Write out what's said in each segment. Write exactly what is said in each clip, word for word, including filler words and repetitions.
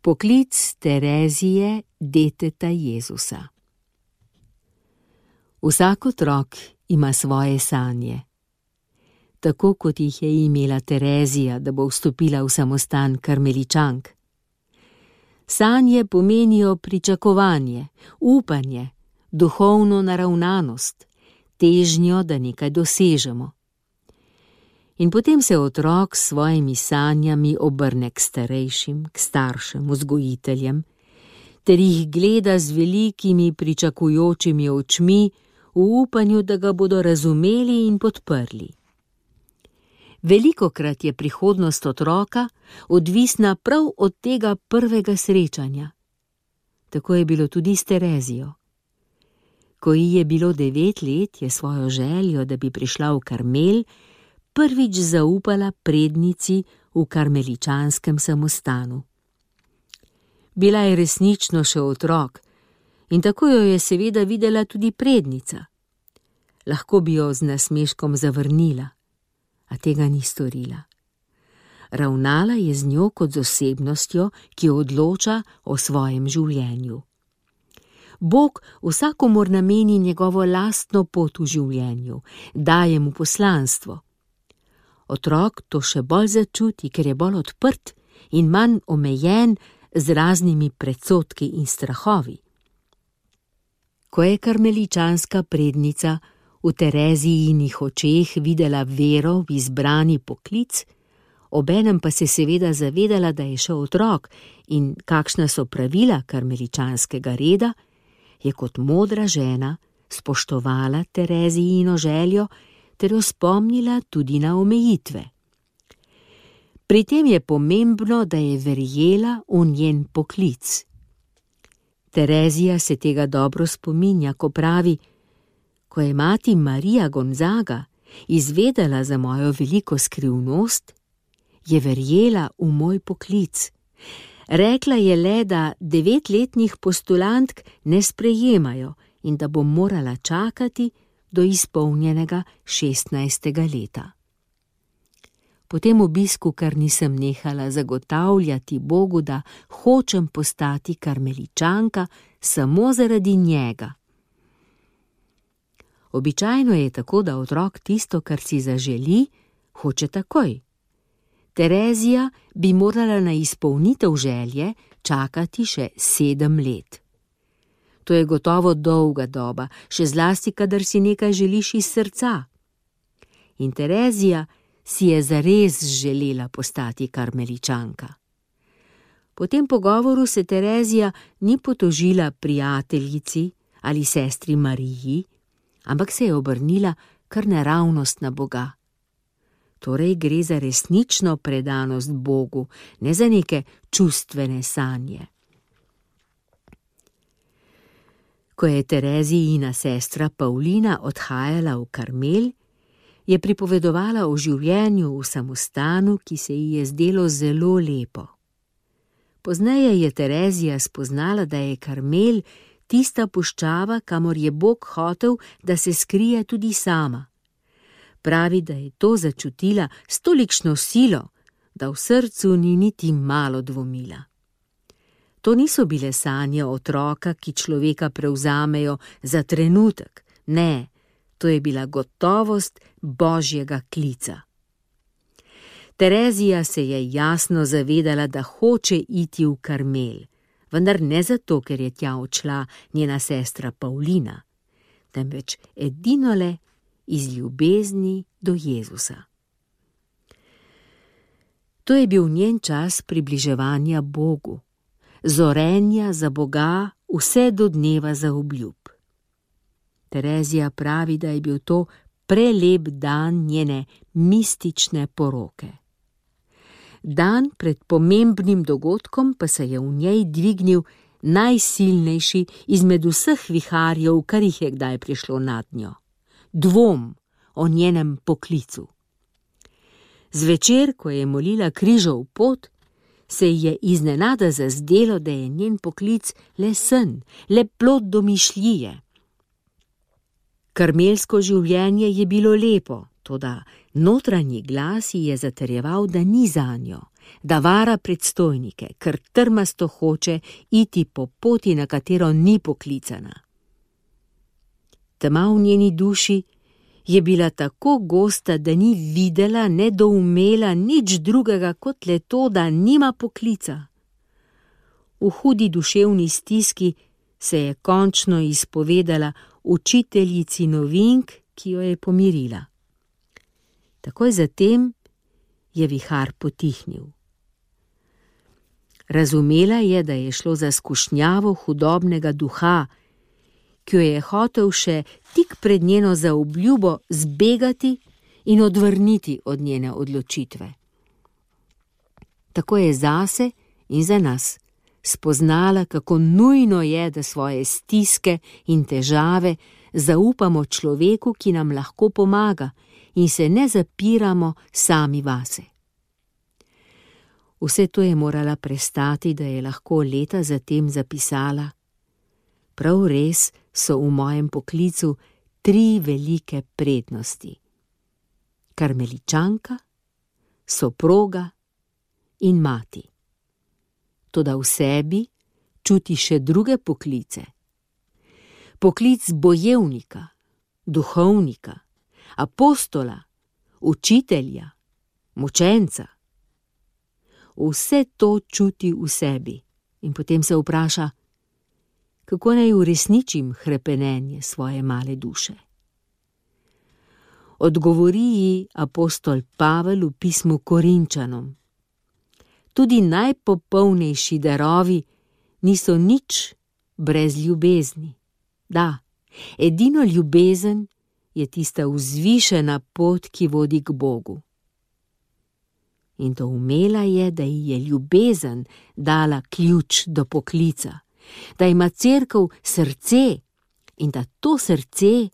Poklic Terezije, deteta Jezusa. Vsak otrok ima svoje sanje. Tako kot jih je imela Terezija, da bo vstopila v samostan karmeličank. Sanje pomenijo pričakovanje, upanje, duhovno naravnanost, težnjo, da nekaj dosežemo. In potem se otrok s svojimi sanjami obrne k starejšim, k staršem, vzgojiteljem, ter jih gleda z velikimi pričakujočimi očmi v upanju, da ga bodo razumeli in podprli. Velikokrat je prihodnost otroka odvisna prav od tega prvega srečanja. Tako je bilo tudi s Terezijo. Ko ji je bilo devet let, je svojo željo, da bi prišla v Karmel, prvič zaupala prednici v karmeličanskem samostanu. Bila je resnično še otrok in tako jo je seveda videla tudi prednica. Lahko bi jo z nasmeškom zavrnila, a tega ni storila. Ravnala je z njo kot z osebnostjo, ki odloča o svojem življenju. Bog vsakomur nameni njegovo lastno pot v življenju, daje mu poslanstvo. Otrok to še bolj začuti, ker je bolj odprt in manj omejen z raznimi predsodki in strahovi. Ko je karmeličanska prednica v Terezijinih očeh videla vero v izbrani poklic, obenem pa se seveda zavedala, da je še otrok in kakšna so pravila karmeličanskega reda, je kot modra žena spoštovala Terezijino željo ter jo spomnila tudi na omejitve. Pri tem je pomembno, da je verjela v njen poklic. Terezija se tega dobro spominja, ko pravi: ko je mati Marija Gonzaga izvedela za mojo veliko skrivnost, je verjela v moj poklic. Rekla je le, da devetletnih postulantk ne sprejemajo in da bom morala čakati do izpolnjenega šestnajstega leta. Po tem obisku kar nisem nehala zagotavljati Bogu, da hočem postati karmeličanka samo zaradi njega. Običajno je tako, da otrok tisto, kar si zaželi, hoče takoj. Terezija bi morala na izpolnitev želje čakati še sedem let. To je gotovo dolga doba, še zlasti, kadar si nekaj želiš iz srca. In Terezija si je zares želela postati karmeličanka. Po tem pogovoru se Terezija ni potožila prijateljici ali sestri Mariji, ampak se je obrnila kar naravnost na Boga. Torej gre za resnično predanost Bogu, ne za neke čustvene sanje. Ko je Terezijina sestra Pavlina odhajala v Karmel, je pripovedovala o življenju v samostanu, ki se ji je zdelo zelo lepo. Pozneje je Terezija spoznala, da je Karmel tista puščava, kamor je Bog hotel, da se skrije tudi sama. Pravi, da je to začutila s tolikšno silo, da v srcu ni niti malo dvomila. To niso bile sanje otroka, ki človeka prevzamejo za trenutek. Ne, to je bila gotovost Božjega klica. Terezija se je jasno zavedala, da hoče iti v Karmel, vendar ne zato, ker je tja odšla njena sestra Pavlina, temveč edinole iz ljubezni do Jezusa. To je bil njen čas približevanja Bogu, zorenja za Boga vse do dneva zaobljub. Terezija pravi, da je bil to prelep dan njene mistične poroke. Dan pred pomembnim dogodkom pa se je v njej dvignil najsilnejši izmed vseh viharjev, kar jih je kdaj prišlo nad njo. Dvom o njenem poklicu. Zvečer, ko je molila križov pot, se ji je iznenada zazdelo, da je njen poklic le sen, le plod domišljije. Karmelsko življenje je bilo lepo, toda notranji glas ji je zatrjeval, da ni zanjo, da vara predstojnike, ker trmasto hoče iti po poti, na katero ni poklicana. Tema v njeni duši je bila tako gosta, da ni videla, ne doumela nič drugega kot le to, da nima poklica. V hudi duševni stiski se je končno izpovedala učiteljici novink, ki jo je pomirila. Takoj zatem je vihar potihnil. Razumela je, da je šlo za skušnjavo hudobnega duha, ki jo je hotel še tik pred njeno zaobljubo zbegati in odvrniti od njene odločitve. Tako je zase in za nas spoznala, kako nujno je, da svoje stiske in težave zaupamo človeku, ki nam lahko pomaga, in se ne zapiramo sami vase. Vse to je morala prestati, da je lahko leta zatem zapisala: prav res so v mojem poklicu tri velike prednosti: karmeličanka, soproga in mati. Toda v sebi čuti še druge poklice. Poklic bojevnika, duhovnika, apostola, učitelja, mučenca. Vse to čuti v sebi in potem se vpraša, kako naj uresničim hrepenenje svoje male duše. Odgovori ji apostol Pavel v pismu Korinčanom: tudi najpopolnejši darovi niso nič brez ljubezni. Da, edino ljubezen je tista vzvišena pot, ki vodi k Bogu. In to umela je, da ji je ljubezen dala ključ do poklica, da ima cerkev srce in da to srce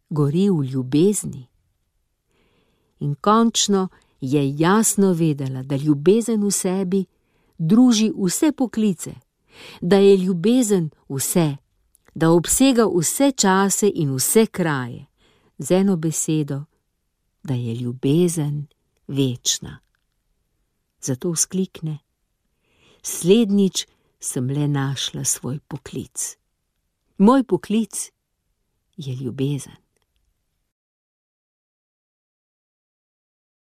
gori v ljubezni. In končno je jasno vedela, da ljubezen v sebi druži vse poklice, da je ljubezen vse, da obsega vse čase in vse kraje, z eno besedo, da je ljubezen večna. Zato vzklikne: slednjič sem le našla svoj poklic. Moj poklic je ljubezen.